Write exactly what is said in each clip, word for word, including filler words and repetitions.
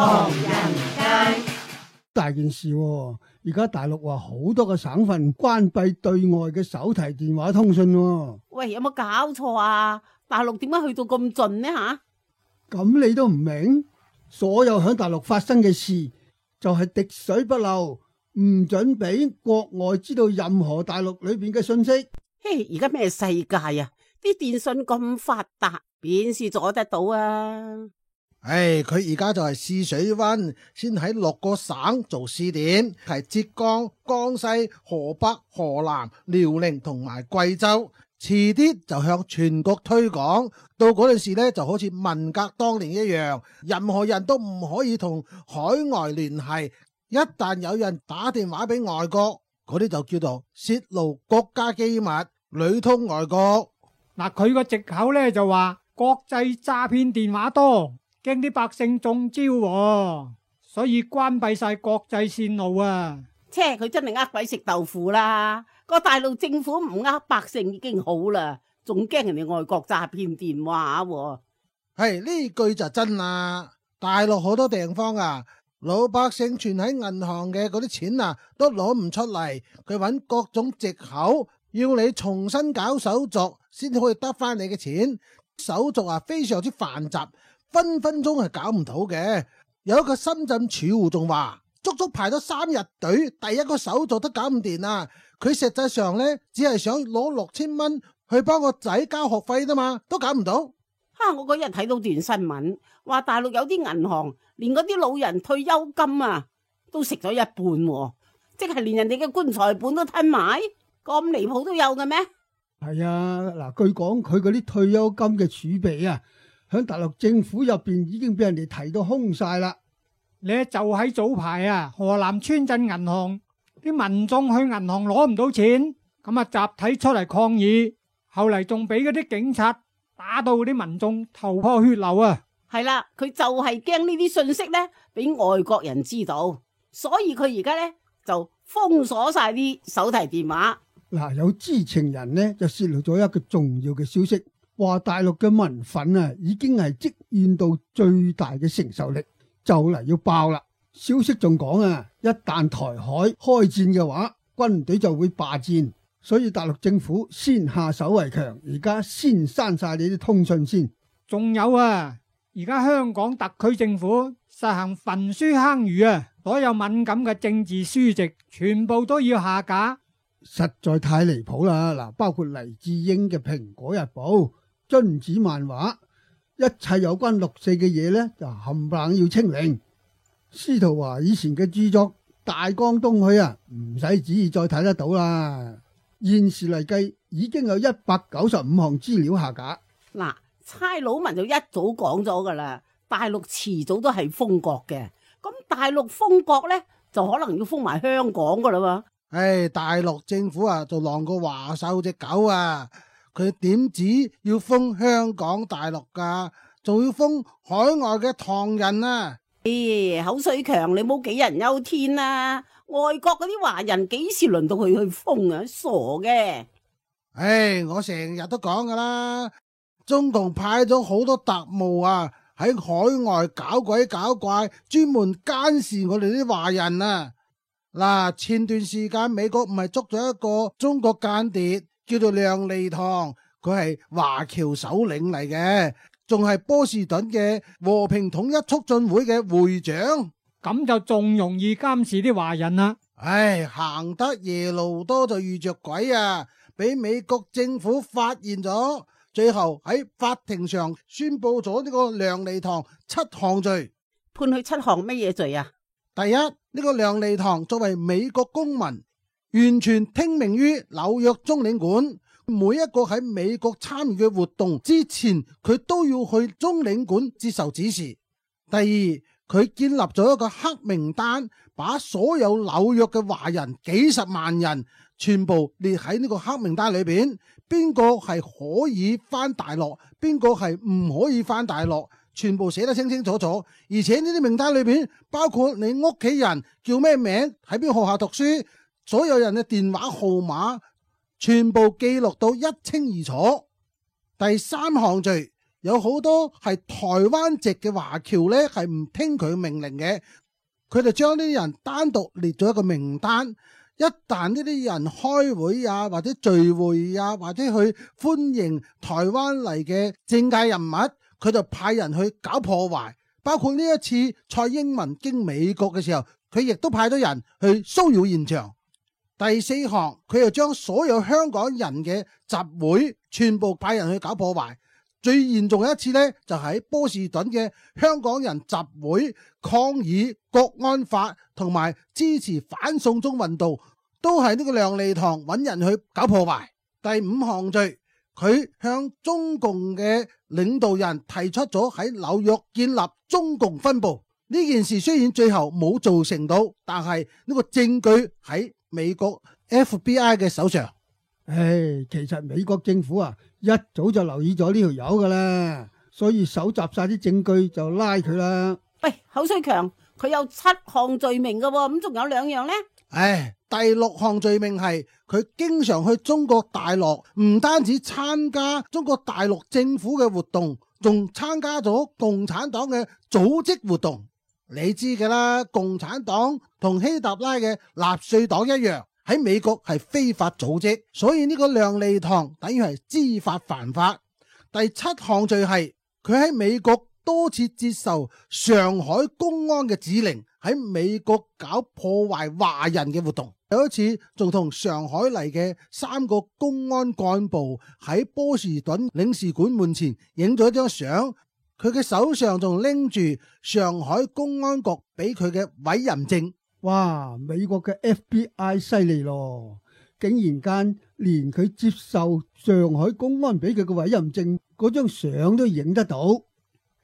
唐人街大件事喎，而家大陸話好多個省份關閉對外嘅手提電話通訊喎。喂，有冇搞錯啊？大陸點解去到咁盡呢吓？咁你都唔明？所有響大陸發生嘅事就係滴水不漏，唔准俾國外知道任何大陸裏邊嘅信息。嘿，而家咩世界啊？啲電信咁發達，邊是阻得到啊？唉，佢而家就係試水溫，先喺六個省做試點，係浙江、江西、河北、河南、遼寧同埋貴州。遲啲就向全國推廣，到嗰陣時咧就好似文革當年一樣，任何人都唔可以同海外聯繫。一旦有人打電話俾外國，嗰啲就叫做泄露國家機密，裏通外國。嗱，佢個藉口咧就話國際詐騙電話多，驚啲百姓中招喎，所以關閉晒國際線路啊！切，佢真係呃鬼食豆腐啦！個大陸政府唔呃百姓已經好啦，仲驚人哋外國詐騙電話喎。係呢句就真啦！大陸好多地方啊，老百姓存喺銀行嘅嗰啲錢啊，都攞唔出嚟，佢揾各種藉口要你重新搞手續，先可以得翻你嘅錢。手續啊非常之繁雜，分分鐘係搞唔到嘅。有一個深圳儲戶仲話，足足排咗三日隊，第一個手續都搞唔掂啊！佢實際上呢，只係想攞六千蚊去幫個仔交學費啫嘛，都搞唔到。哈！我嗰日睇到段新聞，話大陸有啲銀行連嗰啲老人退休金啊都食咗一半喎，即係連人哋嘅棺材本都吞埋，咁離譜都有嘅咩？係啊，嗱，據講佢嗰啲退休金嘅儲備啊，響大陸政府入邊已經俾人哋提到空晒啦。你就喺早排啊，河南村鎮銀行啲民眾去銀行攞唔到錢，咁啊集體出嚟抗議，後嚟仲俾嗰啲警察打到啲民眾頭破血流啊！係啦，佢就係驚呢啲信息咧俾外國人知道，所以佢而家咧就封鎖晒啲手提電話。嗱，有知情人呢就泄露咗一個重要嘅消息，話大陸嘅民憤啊已經係積怨到最大嘅承受力，就嚟要爆啦！消息仲講啊，一旦台海開戰嘅話，軍隊就會罷戰，所以大陸政府先下手為強，而家先刪晒你啲通訊先。仲有啊，而家香港特區政府實行焚書坑儒啊，所有敏感嘅政治書籍全部都要下架，實在太離譜啦！嗱，包括黎智英嘅《蘋果日報》、榛子漫畫，一切有關六四嘅嘢呢，就冚唪唥要清零。司徒華以前嘅著作《大江東去》啊，唔使旨意再睇得到啦。現時嚟計，已經有一百九十五項資料下架。嗱，差佬文就一早講咗噶啦，大陸遲早都係封國嘅。咁大陸封國呢，就可能要封埋香港噶啦喎。唉，大陸政府啊，就狼過華獸隻狗啊！佢點止要封香港大陸噶，仲要封海外嘅唐人啊！咦，口水強，你冇杞人憂天啊！外國嗰啲華人幾時輪到佢去封啊？傻嘅！唉，我成日都講噶啦，中共派咗好多特務啊，喺海外搞鬼搞怪，專門監視我哋啲華人啊！嗱，前段時間美國唔係捉咗一個中國間諜，叫做亮利堂，佢係華僑首領嚟嘅。仲係波士頓嘅和平統一促進會嘅會長，咁就仲容易監視啲華人啦。唉，行得夜路多就遇着鬼啊！俾美國政府發現咗，最後喺法庭上宣布咗呢個梁利堂七項罪。判佢七項乜嘢罪啊？第一，呢、這個梁利堂作為美國公民，完全聽命於紐約中領館。每一個喺美國參與嘅活動之前，佢都要去中領館接受指示。第二，佢建立咗一個黑名單，把所有紐約嘅華人幾十萬人全部列喺呢個黑名單裏邊，邊個係可以翻大陸，邊個係唔可以翻大陸，全部寫得清清楚楚。而且呢啲名單裏邊包括你屋企人叫咩名，喺邊個學校讀書，所有人嘅電話號碼全部記錄到一清二楚。第三項罪，有好多係台灣籍嘅華僑呢，係唔聽佢命令嘅，佢哋將呢啲人單獨列咗一個名單。一旦呢啲人開會啊，或者聚會啊，或者去歡迎台灣嚟嘅政界人物，佢就派人去搞破壞。包括呢一次蔡英文經美國嘅時候，佢亦都派咗人去騷擾現場。第四項，佢又將所有香港人嘅集會全部派人去搞破壞。最嚴重嘅一次呢，就喺波士頓嘅香港人集會抗議國安法同埋支持反送中運動，都係呢個亮利堂揾人去搞破壞。第五項罪，佢向中共嘅領導人提出咗喺紐約建立中共分部。呢件事雖然最後冇做成到，但係呢個證據喺美國 F B I 嘅手上。唉，其實美國政府啊，一早就留意咗呢條友噶啦，所以搜集晒啲證據就拉佢啦。喂，口水強，佢有七項罪名噶，咁仲有兩樣呢？唉，第六項罪名係佢經常去中國大陸，唔單止參加中國大陸政府嘅活動，仲參加咗共產黨嘅組織活動。你知㗎啦，共產黨同希特拉嘅納粹黨一樣，喺美國係非法組織，所以呢個亮利堂等於係知法犯法。第七項罪係佢喺美國多次接受上海公安嘅指令，喺美國搞破壞華人嘅活動。有一次仲同上海嚟嘅三個公安幹部喺波士頓領事館門前影咗一張相，佢嘅手上仲拎住上海公安局俾佢嘅委任證。哇！美國嘅 F B I 犀利咯，竟然間連佢接受上海公安俾佢嘅委任證嗰張相都影得到。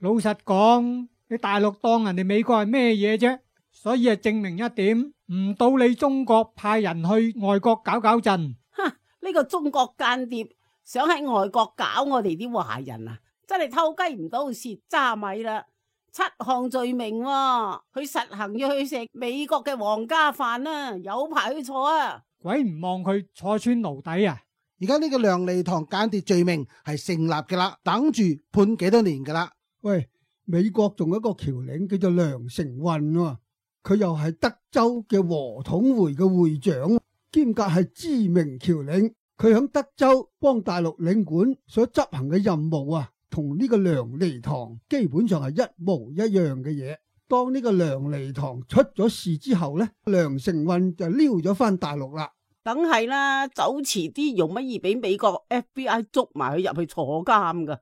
老實講，你大陸當人哋美國係咩嘢啫？所以係證明一點，唔到你中國派人去外國搞搞震。哼，呢個中國間諜想喺外國搞我哋啲華人啊，真係偷雞唔到蝕渣米啦！七項罪名喎，佢實行要去食美國嘅皇家飯啦，有排去坐啊！鬼唔望佢坐穿牢底啊！而家呢個亮利堂間諜罪名係成立嘅啦，等住判幾多年噶啦。喂，美國仲有一個僑領叫做梁成運喎，佢又係德州嘅和統會嘅會長，兼夾係知名僑領。佢響德州幫大陸領館所執行嘅任務啊，同呢個亮利堂基本上係一模一樣嘅嘢。當呢個亮利堂出咗事之後呢，梁成運就溜咗翻大陸啦。梗係啦，走遲啲容乜易俾美國 F B I 捉埋佢入去坐監噶。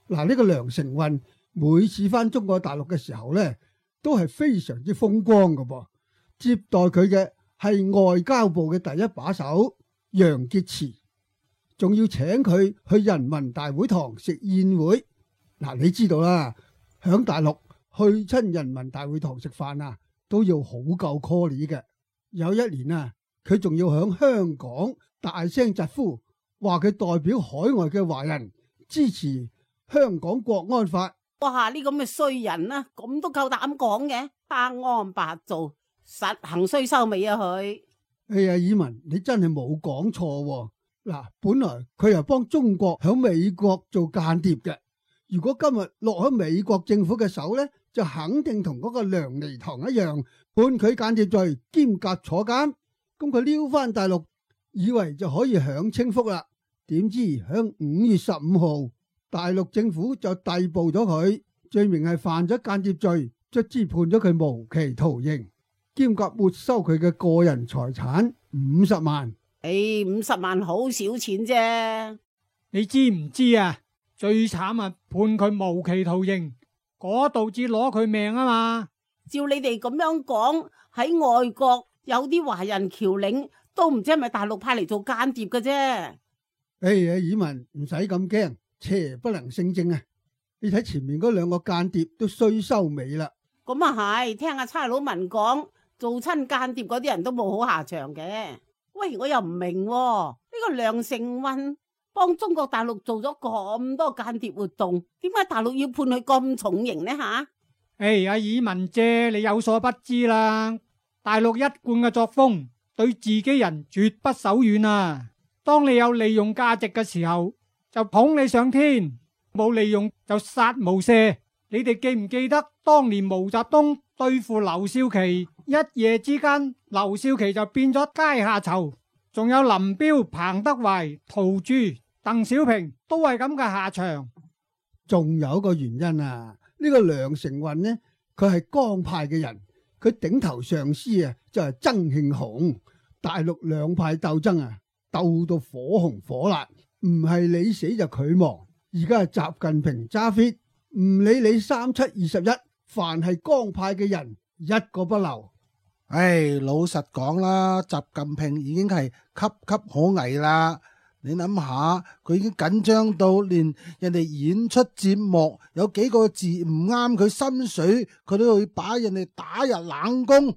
嗱，呢個梁成運每次翻中國大陸嘅時候呢，都係非常之風光噶噃。接待佢嘅係外交部嘅第一把手楊潔篪，仲要請佢去人民大會堂食宴會。嗱，你知道啦，響大陸去親人民大會堂食飯啊，都要好夠 call 嘅。有一年啊，佢仲要響香港大聲疾呼，話佢代表海外嘅華人支持香港國安法。哇！呢咁嘅衰人啊，咁都夠膽講嘅，黑安白做，實行衰收尾啊佢。哎呀，以文你真係冇講錯。嗱，本來佢又幫中國響美國做間諜嘅，如果今日落喺美國政府嘅手呢，就肯定同嗰個亮利堂一樣，判佢間諜罪兼夾坐監。咁佢溜翻大陸，以為就可以享清福啦。點知響五月十五號，大陸政府就逮捕咗佢，罪名係犯咗間諜罪，卒之判咗佢無期徒刑，兼夾沒收佢嘅個人財產五十萬。誒，五十萬好少錢啫。你知唔知啊？最慘啊，判佢無期徒刑，嗰度至攞佢命啊嘛。照你哋咁樣講，喺外國有啲華人僑領都唔知係咪大陸派嚟做間諜嘅啫。哎呀，以文唔使咁驚，邪不能勝正啊！你睇前面嗰兩個間諜都衰收尾啦。咁啊係，聽阿差佬文講，做親間諜嗰啲人都冇好下場嘅。喂，我又唔明喎，呢個梁成運幫中國大陸做咗咁多間諜活動，點解大陸要判佢咁重刑呢吓？誒，阿以文姐，你有所不知啦，大陸一貫嘅作風，對自己人絕不手軟啊！當你有利用價值嘅時候，就捧你上天；冇利用就殺無赦。你哋記唔記得當年毛澤東對付劉少奇，一夜之間劉少奇就變咗階下囚，仲有林彪、彭德懷、陶鑄、鄧小平都係咁嘅下場。仲有一個原因啊，呢個梁成運呢，佢係江派嘅人，佢頂頭上司啊就係曾慶紅。大陸兩派鬥爭啊，鬥到火紅火辣，唔係你死就佢亡。而家係習近平揸 fit，唔理你三七二十一，凡係江派嘅人一個不留。唉，老實講啦，習近平已經係岌岌可危啦。你諗下，佢已經緊張到連人哋演出節目有幾個字唔啱佢心水，佢都會把人哋打入冷宮。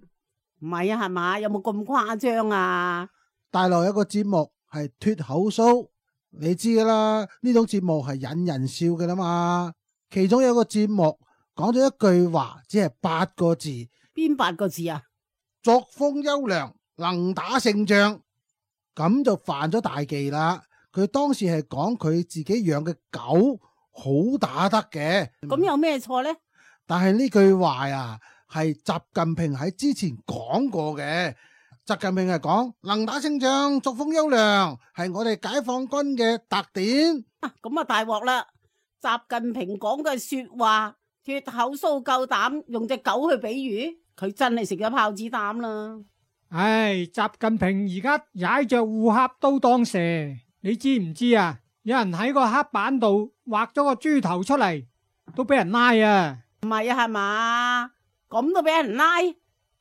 唔係啊，係嘛？有冇咁誇張啊？大陸有一個節目係脫口 show，你知噶啦，呢種節目係引人笑噶啦嘛。其中有一個節目講咗一句話，只係八個字。邊八個字啊？作風優良，能打勝仗。咁就犯咗大忌啦。佢當時係講佢自己養嘅狗好打得嘅。咁有咩錯呢？但係呢句話呀，係習近平喺之前講過嘅。習近平係講能打勝仗，作風優良，係我哋解放軍嘅特點。啊，咁啊大鑊啦！習近平講嘅說話，脫口蘇夠膽用隻狗去比喻，佢真係食咗炮子膽啦！唉，習近平而家踩着烏鴉都當蛇，你知唔知啊？有人喺個黑板度畫咗個豬頭出嚟，都俾人拉啊！唔係啊，係嘛？咁都俾人拉？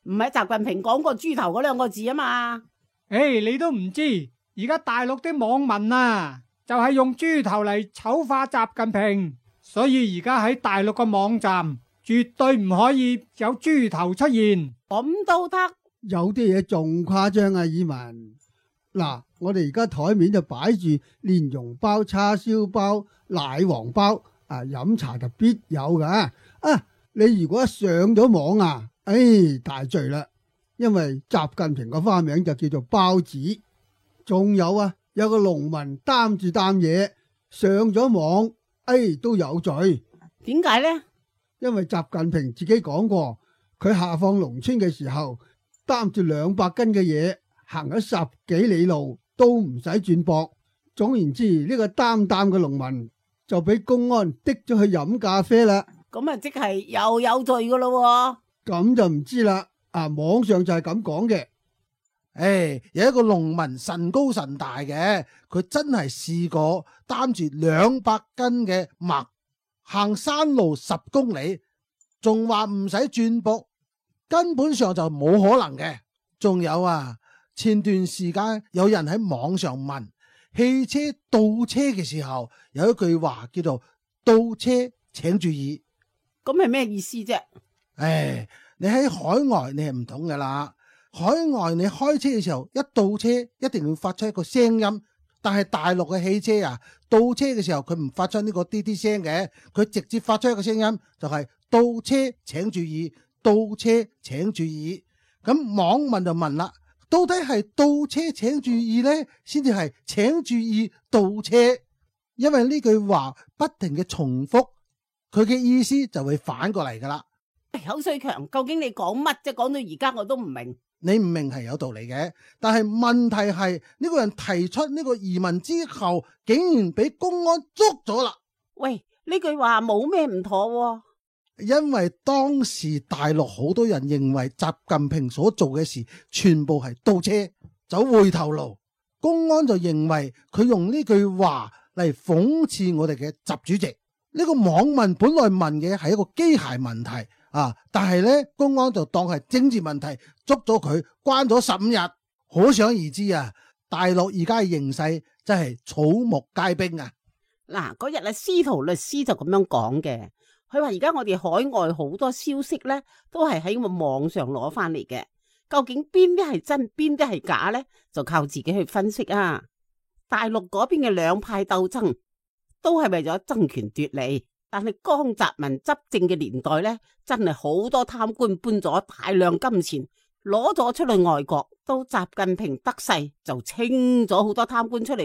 唔係習近平講過豬頭嗰兩個字啊嘛？唉，你都唔知，而家大陸啲網民啊，就係用豬頭嚟醜化習近平，所以而家喺大陸個網站絕對唔可以有豬頭出現。咁都得？有啲嘢仲誇張啊！以文嗱，我哋而家台面就擺住蓮蓉包、叉燒包、奶黃包啊，飲茶就必有噶啊！你如果一上咗網啊，唉、哎，大罪啦！因為習近平個花名就叫做包子。仲有啊，有個農民擔住擔嘢上咗網，唉、哎，都有罪。點解呢？因為習近平自己講過，佢下放農村嘅時候，擔住兩百斤嘅嘢，行咗十幾里路都唔使轉駁。總言之，呢、這個擔擔嘅農民就俾公安滴咗去飲咖啡啦。咁啊，即係又有罪噶咯？咁就唔知啦。啊，網上就係咁講嘅。誒，有一個農民神高神大嘅，佢真係試過擔住兩百斤嘅麥行山路十公里，仲話唔使轉駁。根本上就冇可能嘅。仲有啊，前段時間有人喺網上問汽車倒車嘅時候，有一句話叫做倒車請注意。咁係咩意思啫？唉，你喺海外你係唔懂噶啦。海外你開車嘅時候一倒車一定要發出一個聲音，但係大陸嘅汽車啊，倒車嘅時候佢唔發出呢個滴滴聲嘅，佢直接發出一個聲音就係倒車請注意。倒車請注意，咁網民就問啦，到底係倒車請注意呢，先至係請注意倒車？因為呢句話不停嘅重複，佢嘅意思就會反過嚟噶啦。口水強，究竟你講乜啫？講到而家我都唔明。你唔明係有道理嘅，但係問題係呢個人提出呢個疑問之後，竟然俾公安捉咗啦。喂，呢句話冇咩唔妥喎。因為當時大陸好多人認為習近平所做嘅事全部係倒車走回頭路，公安就認為佢用呢句話嚟諷刺我哋嘅習主席。呢個網民本來問嘅係一個機械問題啊，但係呢公安就當係政治問題，捉咗佢關咗十五日。可想而知啊，大陸而家嘅形勢真係草木皆兵啊！嗱，嗰日啊，司徒律師就咁樣講嘅。佢話而家我哋海外好多消息呢，都係喺個網上攞翻嚟嘅。究竟邊啲係真，邊啲係假呢？就靠自己去分析啊。大陸嗰邊嘅兩派鬥爭，都係為咗爭權奪利。但係江澤民執政嘅年代呢，真係好多貪官搬咗大量金錢，攞咗出去外國。到習近平得勢，就清咗好多貪官出嚟。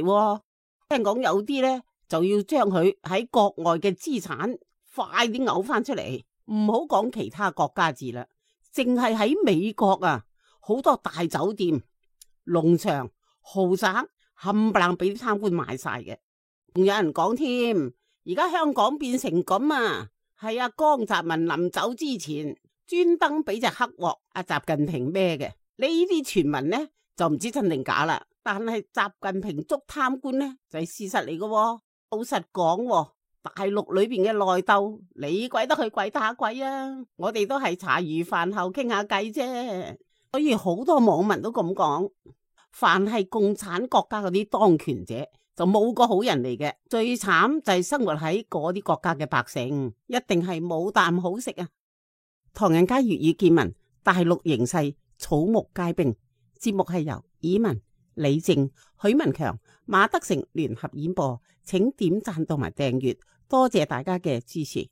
聽講有啲呢，就要將佢喺國外嘅資產快啲嘔翻出嚟，唔好講其他國家字啦，淨係喺美國啊，好多大酒店、農場、豪宅冚唪唥俾啲貪官買晒嘅。仲有人講添，而家香港變成咁啊，係阿江澤民臨走之前專登俾隻黑鑊阿習近平孭嘅。呢啲傳聞呢就唔知真定假啦，但係習近平捉貪官呢就係事實嚟嘅。老實講，大陸裏邊嘅內鬥，你鬼得去鬼打鬼啊！我哋都係茶餘飯後傾下偈啫。所以好多網民都咁講，凡係共產國家嗰啲當權者就冇個好人嚟嘅，最慘就係生活喺嗰啲國家嘅百姓，一定係冇啖好食啊！唐人街粵語見聞，大陸形勢草木皆兵。節目係由以文、李靜、許文強、馬德成聯合演播，請點讚同埋訂閱，多謝大家嘅支持。